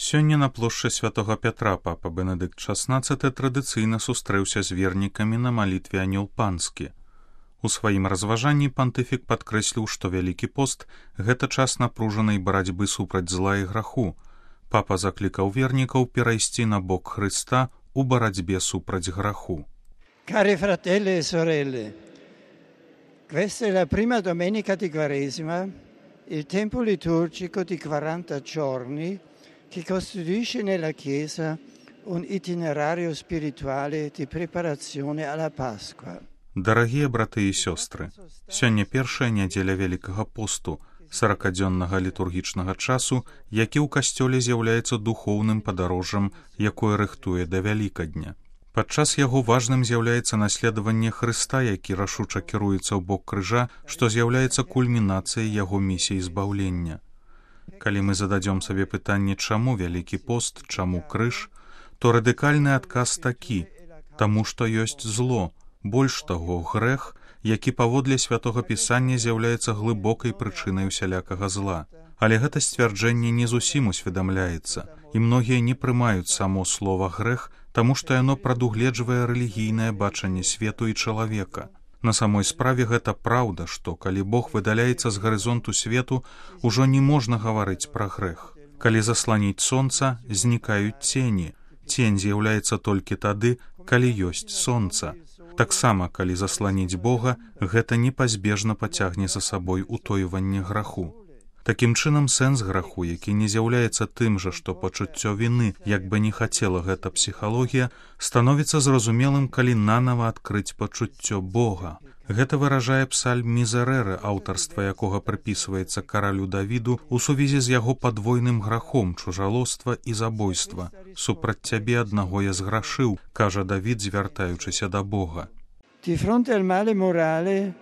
Сёння на плошчы святого Пятра папа Бенедыкт XVI традыцыйна сустрэўся з вернікамі на малітве анёл панскі. У сваім разважанні пантыфік падкрэсліў, што Вялікі пост – гэта час напружанай барацьбы супраць зла і граху. Папа заклікаў вернікаў перайсці на бок Хрыста у барацьбе супраць граху. Cari fratelli e sorelle, questa è la prima domenica di Quaresima, il tempo liturgico di 40 giorni che costituisce nella Chiesa un itinerario spirituale di preparazione alla Pasqua. Дарагія браты і сёстры, сёння першая нядзеля Вялікага посту, 40-дзённага літургічнага часу, які ў касцёле з'яўляецца духоўным падарожжам, якое рыхтуе да Вялікадня. Падчас яго важным з'яўляецца наследаванне Хрыста, які рашуча кіруецца ў бок крыжа, што з'яўляецца кульмінацыяй яго місіі збаўлення. Калі мы зададзём сабе пытанне, чаму Вялікі пост, чаму крыж, то радыкальны адказ такі: таму што ёсць зло, больш таго, грэх, які паводле святога пісання з'яўляецца глыбокай прычынай усялякага зла. Але гэта сцвярджэнне не зусім усведамляецца, і многія не прымаюць само слова грэх, таму што яно прадугледжвае рэлігійнае бачанне свету і чалавека. На самой справе гэта праўда, што калі Бог выдаляецца з гарызонту свету, ужо не можна гаварыць пра грэх. Калі засланіць сонца, знікаюць цені. Цень з'яўляецца толькі тады, калі ёсць сонца. Таксама, калі засланіць Бога, гэта непазбежна пацягне за сабой утойванне граху. Такім чынам, сэнс граху, які не з'яўляецца тым жа, што пачуццё віны, як бы не хацела гэта псіхалогія, становіцца зразумелым, калі нанава адкрыць пачуццё Бога. Гэта выражае псальм Мізерэры, аўтарства якога прыпісваецца каралю Давіду у сувязі з яго падвойным грахом чужалоства і забойства. «Супраць цябе аднаго я зграшыў», кажа Давід, звяртаючыся да Бога. Di fronte al male morale,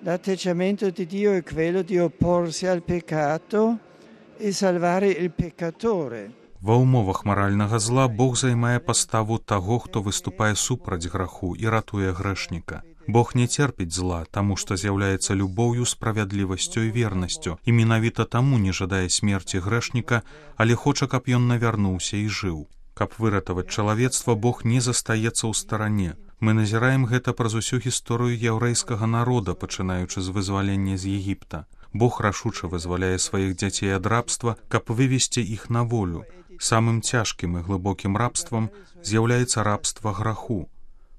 l'atteggiamento di Dio è quello di opporsi al peccato e salvare il peccatore. Ва ўмовах маральнага зла Бог займае паставу таго, хто выступае супраць граху і ратуе грэшніка. Бог не церпіць зла, таму што з'яўляецца любоўю, справядлівасцю і вернасцю, і менавіта таму не жадае смерці грэшніка, але хоча, каб ён навярнуўся і жыў. Каб выратаваць чалавецтва, Бог не застаецца ў старане. Мы назіраем гэта праз усю гісторыю яўрэйскага народа, пачынаючы з вызвалення з Егіпта. Бог рашуча вызваляе сваіх дзяцей ад рабства, каб вывесці іх на волю. Самым цяжкім і глыбокім рабствам з'яўляецца рабства граху.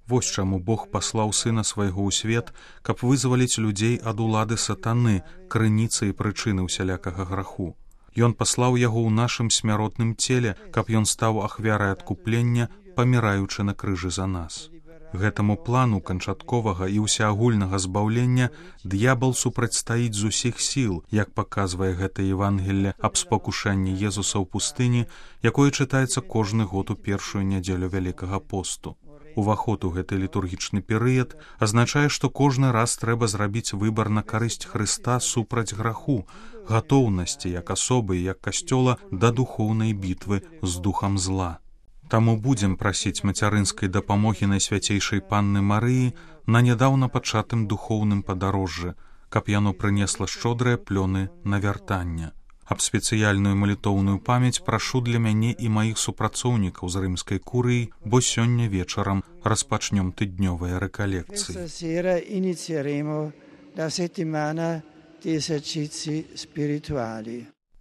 Вось чаму Бог паслаў Сына свайго ў свет, каб вызваліць людзей ад улады сатаны, крыніцы і прычыны ўсялякага граху. Ён паслаў яго ў нашым смяротным целе, каб ён стаў ахвярай адкуплення, паміраючы на крыжы за нас. Гэтаму плану канчатковага і ўсеагульнага збаўлення д'ябал супрацьстаіць з усіх сіл, як паказвае гэта Евангелле аб спакушанні Езуса ў пустыні, якое чытаецца кожны год у першую нядзелю Вялікага посту. Уваход у гэты літургічны перыяд азначае, што кожны раз трэба зрабіць выбар на карысць Хрыста супраць граху, гатоўнасці як асобы і як касцёла да духоўнай бітвы з духам зла. Таму будзем прасіць мацярынскай дапамогі Найсвяцейшай Панны Марыі на нядаўна пачатым духоўным падарожжы, каб яно прынесла шчодрыя плёны навяртання. Аб спецыяльную малітоўную памяць прашу для мяне і маіх супрацоўнікаў з рымскай курыі, бо сёння вечарам распачнём тыднёвыя рэкалекцыі.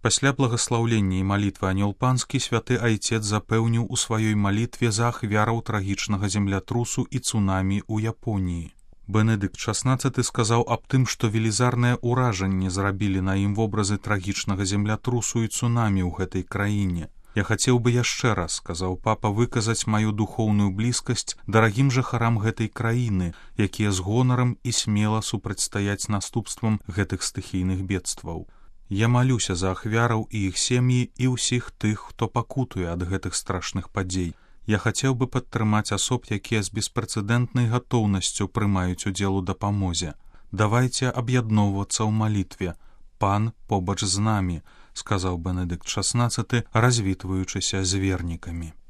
Пасля благаслаўлення і малітвы анёл панскі святы айцец запэўніў у сваёй малітве за ахвяраў трагічнага землятрусу і цунамі ў Японіі. Бенедыкт XVI сказаў аб тым, што велізарнае ўражанне зрабілі на ім вобразы трагічнага землятрусу і цунамі ў гэтай краіне. Я хацеў бы яшчэ раз, сказаў папа, выказаць маю духоўную блізкасць дарагім жыхарам гэтай краіны, якія з гонарам і смела супрацьстаяць наступствам гэтых стыхійных бедстваў. Я малюся за ахвяраў і іх сем'і і ўсіх тых, хто пакутуе ад гэтых страшных падзей. Я хацеў бы падтрымаць асоб, якія з беспрэцэдэнтнай гатоўнасцю прымаюць удзел у дапамозе. Давайце аб'ядноўвацца ў малітве. Пан побач з намі, сказаў Бенедыкт XVI, развітваючыся з вернікамі.